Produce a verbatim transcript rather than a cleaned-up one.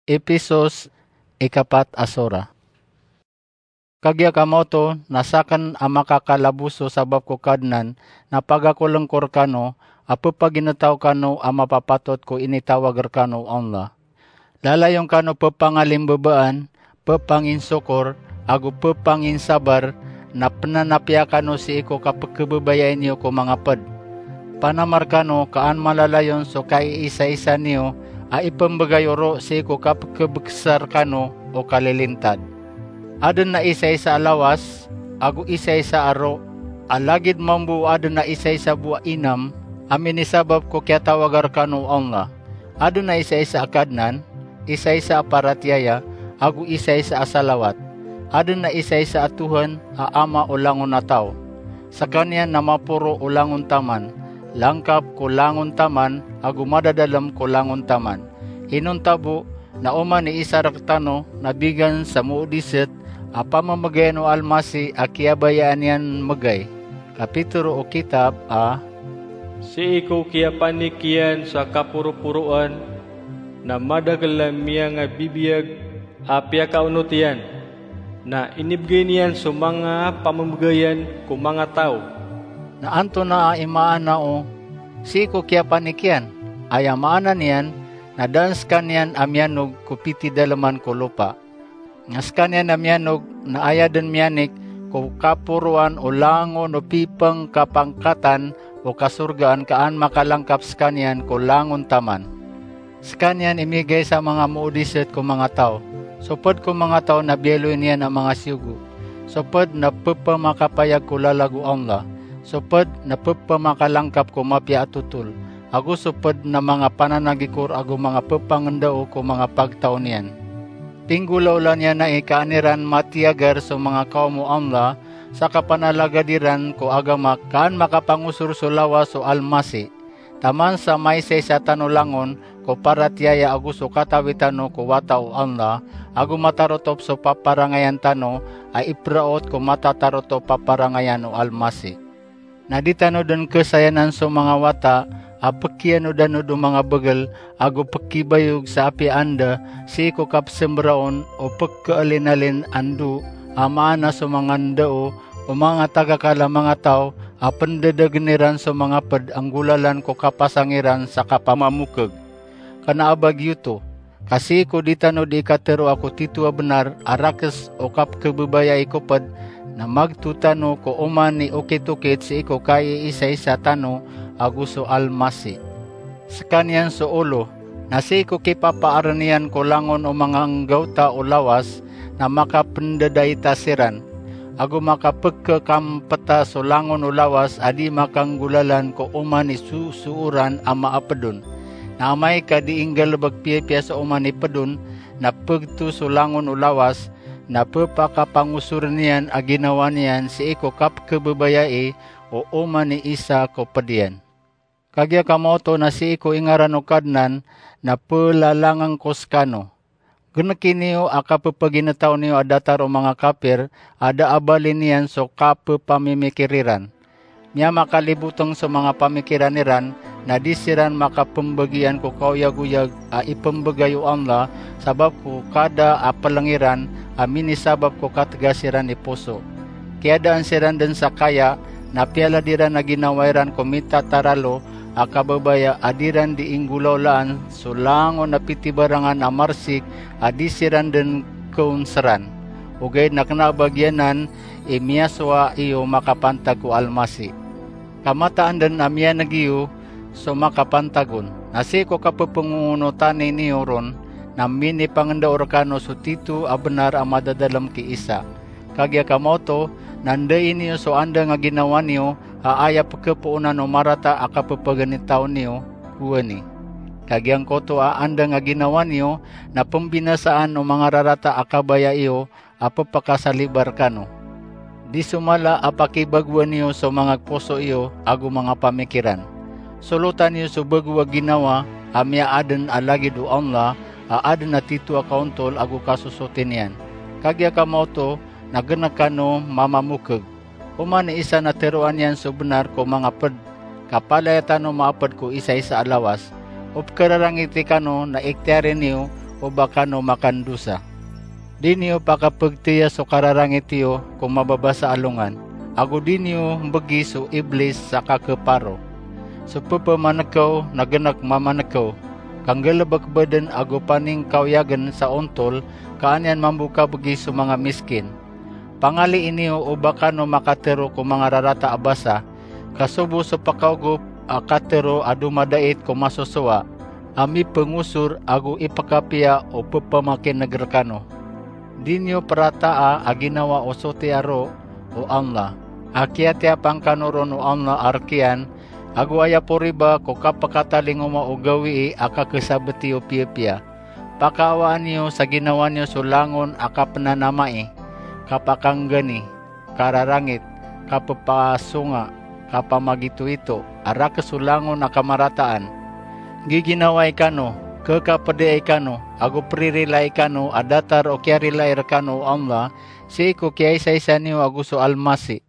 Episos, ikapat a sora. Kagiya kamaoto na sakn a makakalabos so sabap ko Kadnan na pagakolngko rkano a ppagintaw kano a mapapatot ko initawag rkano o Allah. Lalayon kano ppangalimbabaan, ppanginsokor, ago ppanginsabar, na pnanapiya kano sii ko kapkhababayai niyo ko manga pd. Panamar kano ka an malalayon so kaiisaisa niyo a ipmbgay oro sii ko kapkhabksa rkano o kalilintad. Adn a isaisa a lawas, ago isaisa a ro, a lagid mambo o adn a isaisa bo a inam, a minisabap ko kiyatawaga rkano o Allah. Adn a isaisa a Kadnan, isaisa a paratiyaya, ago isaisa a salawat. Adn a isaisa a Tuhan a Ama o langon a taw. Skaniyan na maporo o langon taman, langkap ko langon taman, ago madadalm ko langon taman. Inonta bo na oman i isa rktano na bigan sa moodisat a pamamgayan o Almasih a kiyabayaan iyan mgay. Kapitoro o kitab a Sii ko kiyapanik iyan sa kaporoporoan, na madakl a miyangabibiyag a piyakaonot iyan, na inibgay niyan so manga pamamgayan ko manga taw. Na antonaa i maana o sii ko kiyapanik iyan? Aya maana niyan na da an skaniyan a miyanog ko pitidalman ko lopa. Na skaniyan a miyanog na aya dn miyanik ko kaporoan o langon o pipngkapangkatan o kasorgaan ka an makalangkap skaniyan ko langon taman. Skaniyan i migay sa manga moodisat ko manga taw. So pd ko manga taw na biyaloy niyan a manga siyogo. So pd na pphamakapayag ko lalag o Allah. So pd na ppamakalangkap ko mapiya a totol. Ago so pd na manga pananagikor ago manga pphangndao ko manga pagtaw niyan. Pinggolawla niyan ai ka an iran matiyagar so manga kawm o Allah sa kapanalagad iran ko agama ka an makapangosor so lawas o Almasih. Taman sa maisaisa tano langon ko paratiyaya ago so katawi tano ko wata o Allah, ago matarotop so paparangayan tano a ipraot ko matatarotop a parangayan o Almasih. Na di tano dn khasayanan so manga wata a pkhiyanod-anod o manga bgl ago pkhibayog sa apiya anda sii ko kapsmbraon o pkhalin-alin a ndo, a maana so manga ndao o manga tagakala manga taw a pndadagn iran so manga pd a nggolalan ko kapasang iran sa kapamamokg. Kna a ba giyoto, ka sii ko di tano di katharo a ko tito a bnar a rakhs o kapkhababayai ko pd, na magto tano ko oman i okit-okit sii ko kaiisaisa tano ago so Almasih. Skaniyan so olo, na sii ko kipapaarn iyan ko langon o manga nggawta o lawas, na makapndadaita siran, ago makapkhakampta so langon o lawas a di makanggolalan ko oman i sosooran a maapd on. Na amay ka di inggalbk piyapiya so oman i pd on, na pgto so langon o lawas, na pphakapangosorn iyan a ginawa niyan sii ko kapkhababayai o oman i isa ko pd iyan. Kagiya kamaoto na sii ko ingaran o Kadnan na plalangangko skano. Gnki niyo a kappagintaw niyo a datar o manga kapir a da a bali niyan so kappamimikir iran. Miyamakalibotng so manga pamikiran iran na di siran makapmbagian ko kaoyagoyag a ipmbgay o Allah sabap ko kada a plng iran a minisabap ko katgas iran i poso. Kiyadaan siran dn sa kaya, na piyalad iran a ginawa iran ko mitataralo a kababaya a di ran di inggolawlaan so langon a pitibarangan a marsik a di siran dn konsran. Ogaid na kna a ba giyanan i miyasowa iyo makapantag ko Almasih. Ka mataan dn a miyaneg iyo so makapantag on. Na sii ko kapphangoonotan iyo ron na minipangndao rkano so tito a bnar a madadalm ki Isa. Kagiya kamaoto na ndai niyo so andang a ginawa niyo a aya pkhapoonan o marata a kappagintaw niyo, gowani. Ka giyangkoto a andang a ginawa niyo na pmbinasaan o manga rarata a kabaya iyo a pphakasalibar kano. Di so mala a pakibagoan iyo so manga poso iyo ago manga pamikiran. Solotan iyo so bago a ginawa a miyaadn a lagid o Allah a adn a tito a kaontol ago kasosoti niyan. Kagiya kamaoto na gnk kano mamamokg. Oman i isa na tharoan iyan so bnar ko manga pd, ka palaya tano maapd ko isaisa a lawas. O pkhararangiti kano na iktiyari niyo o ba kano makandosa. Di niyo pakapegteya so kararangit iyo ko mababasa a longan, ago di niyo mbegi so Iblis sa kakeparo. So pepemanekew na genek mamanekew, kanggelebek beden ago paningkaoyagen sa ontol, ka an iyan mambo kabegi so manga miskin. Pangalii niyo o ba kano makatero ko manga rarata a basa, ka sobo so pakaogop a katero a domadait ko masosowa, a mipengosor ago ipekapiya o pepamakineg rekano. Di niyo perataa a ginawa o sotiya ro o Allah, a kiyatiyapan kano ron o Allah a rek iyan, ago aya po riba ko kapekatalingoma o gawii a kakesabet iyo piyapiya. Pakaawaan iyo sa ginawa niyo so langon a kapenanamai, kapakanggani, kararangit, kapepasonga, kapamagitoito, a rakeso langon a kamarataan. Giginawai kano, kekapediai kano, ago peririlai kano a datar o kiyarilai rekano o Allah, sii ko kiyaisaisa niyo ago so Almasih.